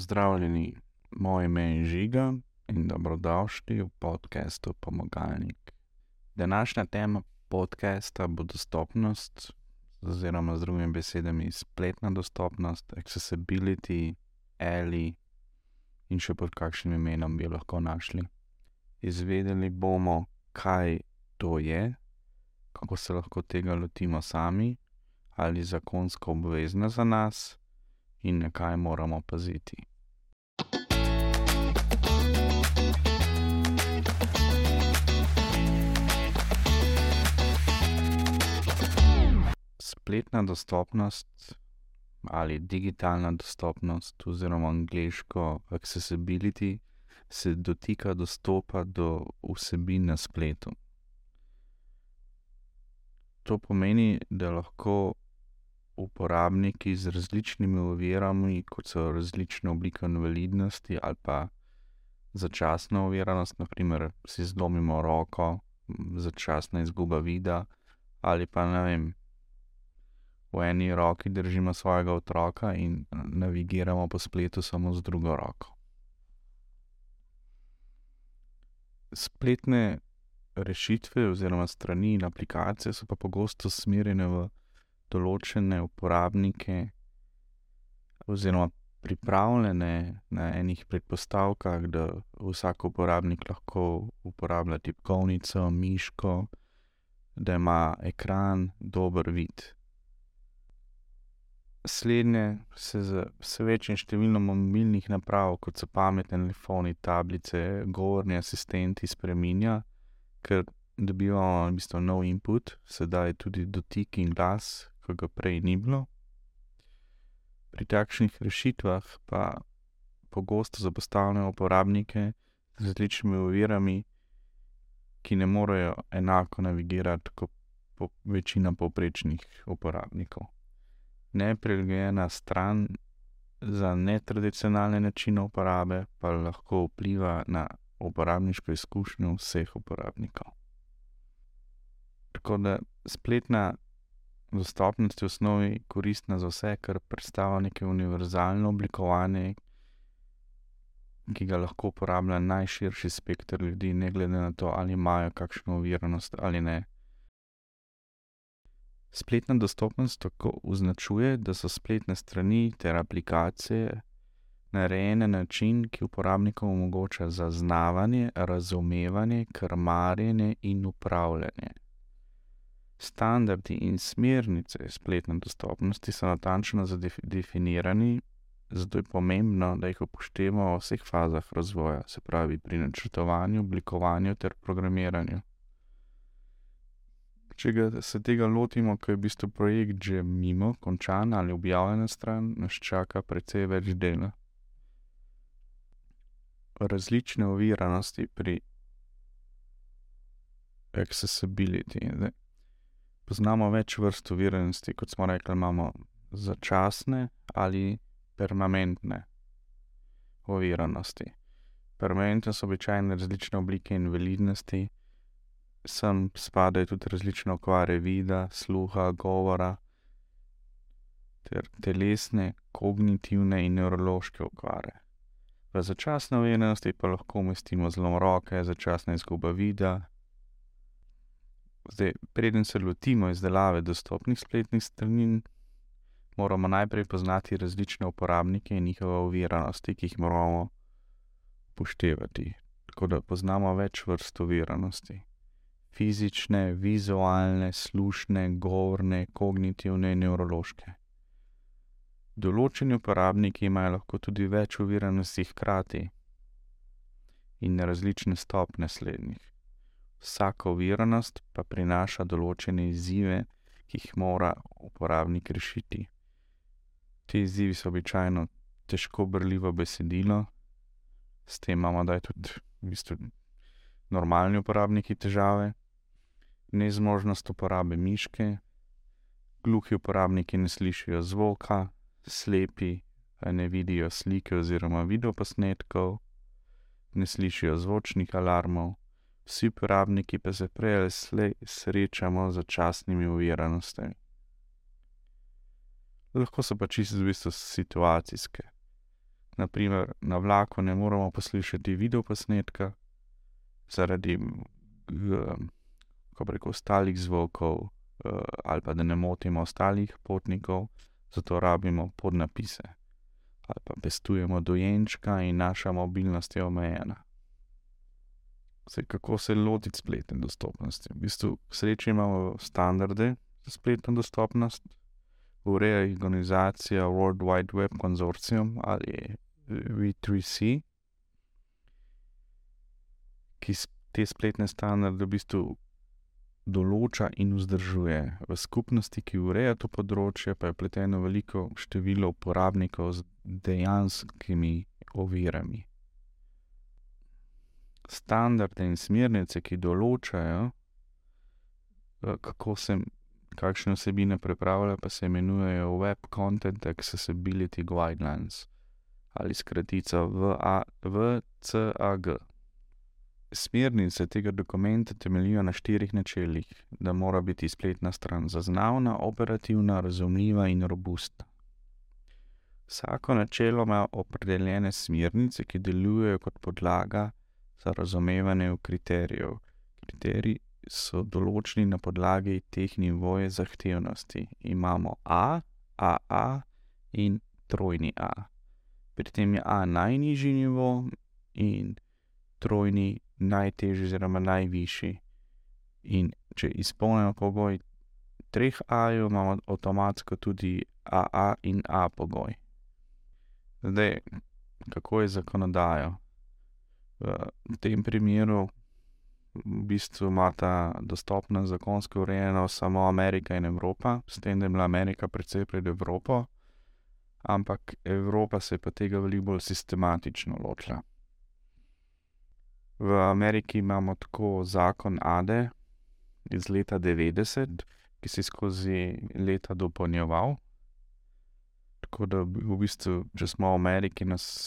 Pozdravljeni, moje ime je Žiga in dobrodošli v podcastu Pomagalnik. Današnja tema podcasta bo dostopnost, oziroma z drugimi besedami spletna dostopnost, accessibility, ali in še pod kakšnim imenom bi jo lahko našli. Izvedeli bomo, kaj to je, kako se lahko tega lotimo sami, ali zakonsko obvezno za nas in na kaj moramo paziti. Spletna dostopnost ali digitalna dostopnost oziroma angleško accessibility se dotika dostopa do vsebin na spletu. To pomeni, da lahko uporabniki z različnimi ovirami, kot so različne oblike invalidnosti ali pa začasna oviranost, na primer si zlomimo roko, začasna izguba vida, ali pa v eni roki držimo svojega otroka in navigiramo po spletu samo z drugo roko. Spletne rešitve oziroma strani in aplikacije so pa pogosto usmerjene v določene uporabnike oziroma pripravljene na enih predpostavkah, da vsak uporabnik lahko uporablja tipkovnico, miško, da ima ekran dober vid. Slednje se z vse večjim številom mobilnih naprav, kot so pametni telefoni, tablice, govorni asistenti, spreminja, ker dobivamo v bistvu nov input, sedaj tudi dotik in glas, ko ga prej ni bilo. Pri takšnih rešitvah pa pogosto zapostavljajo uporabnike z različnimi ovirami, ki ne morejo enako navigirati kot večina povprečnih uporabnikov. Neprilagojena stran za netradicionalne načine uporabe pa lahko vpliva na uporabniško izkušnjo vseh uporabnikov. Tako da spletna dostopnost je v osnovi koristna za vse, ker predstavlja neko univerzalno oblikovanje, ki ga lahko uporablja najširši spekter ljudi, ne glede na to, ali imajo kakšno oviranost ali ne. Spletna dostopnost tako označuje, da so spletne strani ter aplikacije narejene na način, ki uporabnikom omogoča zaznavanje, razumevanje, krmarjenje in upravljanje. Standardi in smernice spletne dostopnosti so natančno definirani, zato je pomembno, da jih upoštevamo v vseh fazah razvoja, se pravi pri načrtovanju, oblikovanju ter programiranju. Če se tega lotimo, ko je v bistvu projekt že mimo, končan ali objavljena stran, nas čaka precej več dela. Različne oviranosti pri accessibility. Poznamo več vrst oviranosti, kot smo rekli, imamo začasne ali permanentne oviranosti. Permanentne so običajno različne oblike invalidnosti, sem spadajo tudi različne okvare vida, sluha, govora ter telesne, kognitivne in nevrološke okvare. V začasne oviranosti pa lahko umestimo zlom roke, začasna izguba vida. Preden se lotimo izdelave dostopnih spletnih strani, moramo najprej poznati različne uporabnike in njihove oviranosti, ki jih moramo upoštevati. Tako da poznamo več vrst oviranosti. Fizične, vizualne, slušne, govorne, kognitivne in nevrološke. Določeni uporabniki imajo lahko tudi več oviranosti hkrati in različne stopnje slednjih. Vsaka oviranost pa prinaša določene izzive, ki jih mora uporabnik rešiti. Ti izzivi so običajno težko berljivo besedilo, s tem imamo tudi v bistvu normalni uporabniki težave, nezmožnost uporabe miške, gluhi uporabniki ne slišijo zvoka, slepi ne vidijo slike oziroma videoposnetkov, ne slišijo zvočnih alarmov, vsi uporabniki pa se prej ali slej srečamo z začasnimi oviranostmi. Lahko so pa čisto v bistvu situacijske. Naprimer, na vlaku ne moremo poslušati videoposnetka zaradi ostalih zvokov ali pa da ne motimo ostalih potnikov, zato rabimo podnapise. Ali pa pestujemo dojenčka in naša mobilnost je omejena. Zdaj, kako se lotiti spletne dostopnosti? V bistvu, k sreči imamo standarde za spletno dostopnost, ureja jih organizacija World Wide Web Consortium ali W3C, ki te spletne standarde v bistvu določa in vzdržuje. V skupnosti, ki ureja to področje, pa je vpleteno veliko število uporabnikov z dejanskimi ovirami. Standarde in smernice, ki določajo, kakšne vsebine pripravlja, pa se imenujejo Web Content Accessibility Guidelines ali skratica WCAG. Smernice tega dokumenta temeljijo na 4 načelih, da mora biti spletna stran zaznavna, operativna, razumljiva in robustna. Vsako načelo ima opredeljene smernice, ki delujejo kot podlaga za razumevanje kriterijev. Kriteriji so določeni na podlagi teh nivojev zahtevnosti. Imamo A, AA in trojni A. Pri tem je A najnižji nivo in trojni najtežji oziroma najvišji. In če izpolnimo pogoj 3 A-jev, imamo avtomatsko tudi AA in A pogoj. Zdaj, kako je zakonodajo? V tem primeru v bistvu imata dostopnost zakonsko urejeno samo Amerika in Evropa, s tem, da je bila Amerika precej pred Evropo, ampak Evropa se je pa tega veliko bolj sistematično lotila. V Ameriki imamo tako zakon ADE iz leta 90, ki se je skozi leta dopolnjeval. Tako da v bistvu, če smo v Ameriki,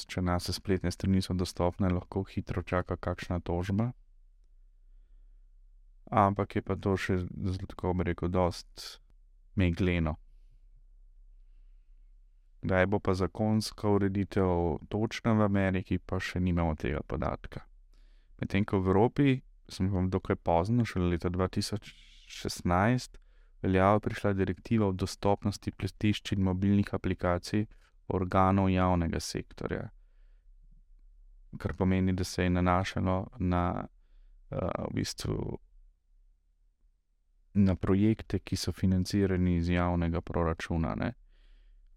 če naše spletne strani so dostopne, lahko hitro čaka kakšna tožba. Ampak je pa to še, tako bi rekel, dost megleno. Kdaj bo pa zakonska ureditev točna v Ameriki, pa še nimamo tega podatka. Medtem ko v Evropi, smo dokaj pozno, šele leta 2016, veljavo prišla direktiva o dostopnosti pletišč in mobilnih aplikacij organov javnega sektorja. Kar pomeni, da se je nanašalo na v bistvu na projekte, ki so financirani iz javnega proračuna, ne.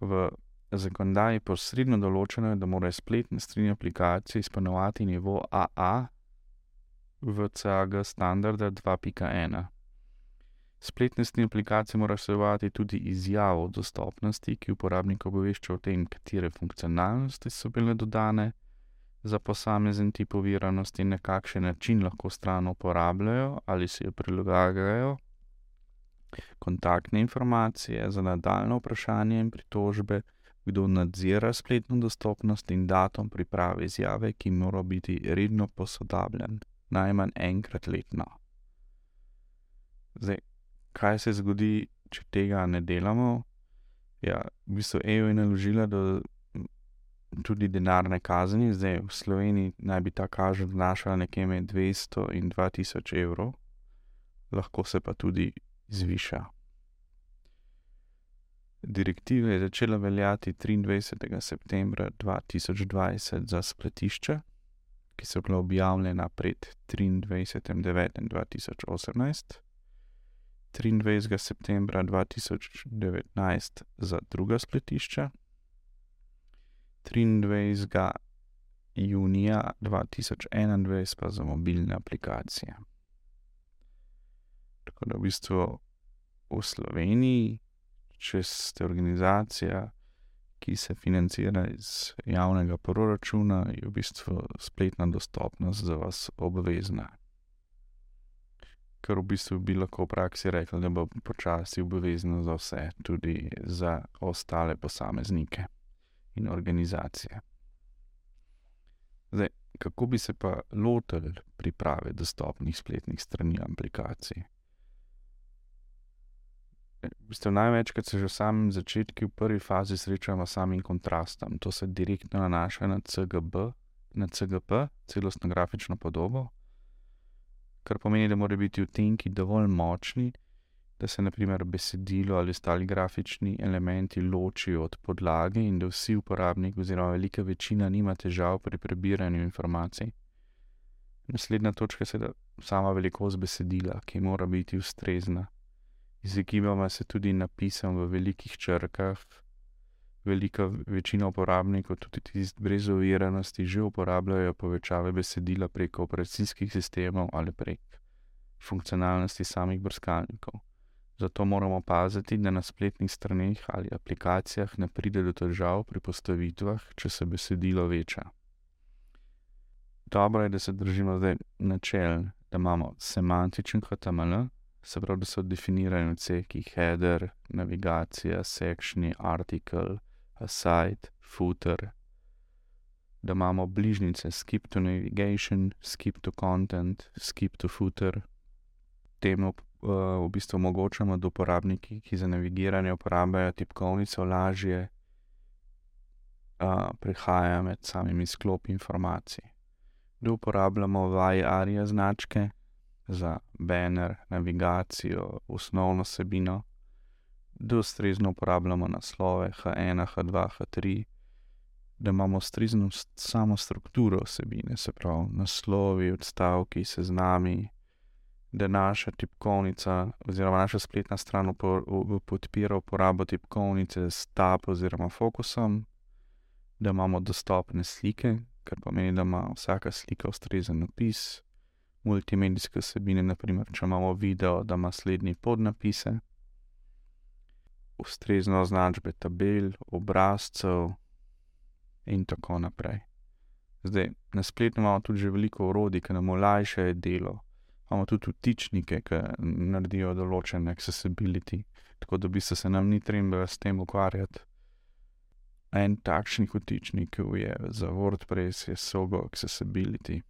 V zakonodaji posredno določeno je, da morajo spletne strani aplikacije izpolnjevati nivo AA WCAG standarda 2.1. Spletne strani aplikacije morajo vsebovati tudi izjavo o dostopnosti, ki uporabnika obvešča o tem, katere funkcionalnosti so bile dodane za posamezen tip oviranosti in na kakšen način lahko stran uporabljajo ali si jo prilagajajo, kontaktne informacije za nadaljnje vprašanje in pritožbe, kdo nadzira spletno dostopnost in datum priprave izjave, ki mora biti redno posodabljen, najmanj enkrat letno. Zdaj, kaj se zgodi, če tega ne delamo? Ja, v bistvu EU je naložila tudi denarne kazni. Zdaj, v Sloveniji naj bi ta kazen znašala nekje med 200 in 2000 evrov, lahko se pa tudi zviša. Direktiva je začela veljati 23. septembra 2020 za spletišča, ki so bila objavljena pred 23.9.2018, 23. septembra 2019 za druga spletišča, 23. junija 2021 pa za mobilne aplikacije. Tako da v bistvu v Sloveniji, če ste organizacija, ki se financira iz javnega proračuna, je v bistvu spletna dostopnost za vas obvezna. Ker v bistvu bi lahko v praksi rekli, da bo počasi obvezno za vse, tudi za ostale posameznike in organizacije. Zdaj, kako bi se pa lotili priprave dostopnih spletnih strani aplikacij? V bistvu največkrat se že v samem začetku, v prvi fazi srečamo s samim kontrastom. To se direktno nanaša na CGP, celostno grafično podobo, kar pomeni, da morajo biti odtenki dovolj močni, da se na primer besedilo ali ostali grafični elementi ločijo od podlage in da vsi uporabniki oziroma velika večina nima težav pri prebiranju informacij. Naslednja točka je seveda sama velikost besedila, ki mora biti ustrezna. Izogibamo se tudi napisom v velikih črkah. Velika večina uporabnikov, tudi tisti brez oviranosti, že uporabljajo povečave besedila preko operacijskih sistemov ali prek funkcionalnosti samih brskalnikov. Zato moramo paziti, da na spletnih straneh ali aplikacijah ne pride do težav pri postavitvah, če se besedilo veča. Dobro je, da se držimo zdaj načel, da imamo semantičen HTML, se pravi, da so definirani odseki header, navigacija, sectioni, article, aside, footer, da imamo bližnjice skip to navigation, skip to content, skip to footer. Temu v bistvu omogočamo, da uporabniki, ki za navigiranje uporabljajo tipkovnico, lažje prehajajo med samimi sklopi informacij. Da uporabljamo VAI-ARIA značke za banner, navigacijo, osnovno vsebino, da ustrezno uporabljamo naslove H1, H2, H3, da imamo ustrezno samo strukturo vsebine, se pravi naslovi, odstavki, seznami, da naša tipkovnica oziroma naša spletna stran podpira uporabo tipkovnice s tab oziroma fokusom, da imamo dostopne slike, kar pomeni, da ima vsaka slika ustrezen opis, multimedijske vsebine, naprimer, če imamo video, da ima slednji podnapise, ustrezne označbe tabel, obrazcev in tako naprej. Zdaj, na spletu imamo tudi že veliko orodij, ki nam olajšajo delo. Imamo tudi vtičnike, ki naredijo določene accessibility, tako da v bistvu se nam ni treba s tem ukvarjati. En takšnih vtičnikov je za WordPress, je Sogo Accessibility.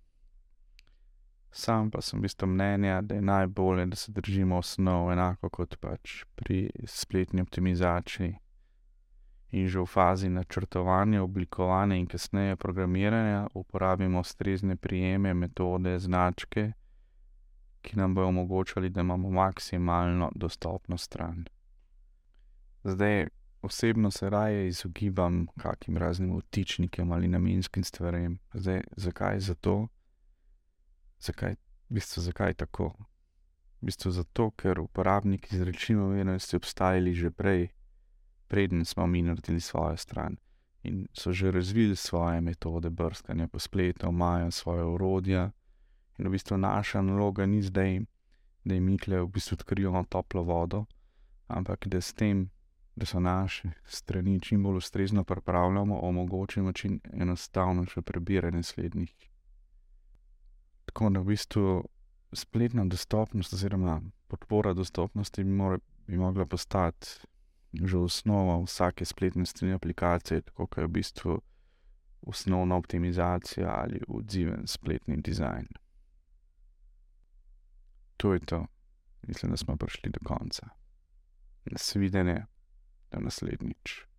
Sam pa sem v bistvu mnenja, da je najbolje, da se držimo osnov, enako kot pač pri spletni optimizaciji. In že v fazi načrtovanja, oblikovanja in kasneje programiranja uporabimo ustrezne prijeme, metode, značke, ki nam bojo omogočali, da imamo maksimalno dostopno stran. Zdaj, osebno se raje izogibam kakim raznim vtičnikom ali namenskim stvarem. Zdaj, zakaj zato? Zakaj tako? V bistvu zato, ker uporabniki z rečima vernosti obstajali že preden smo mi naredili svojo stran in so že razvili svoje metode brskanja po spletu, imajo svoje orodja in v bistvu naša naloga ni zdaj, da jim mi v bistvu odkrivamo toplo vodo, ampak da s tem, da so naše strani čim bolj ustrezno pripravljamo, omogočimo čim enostavnejše prebiranje slednjih. Tako da v bistvu spletna dostopnost oziroma podpora dostopnosti bi mogla postati že osnova vsake spletne strani aplikacije, tako kot je v bistvu osnovna optimizacija ali odziven spletni dizajn. To je to. Mislim, da smo prišli do konca. Nasvidenje, do naslednjič.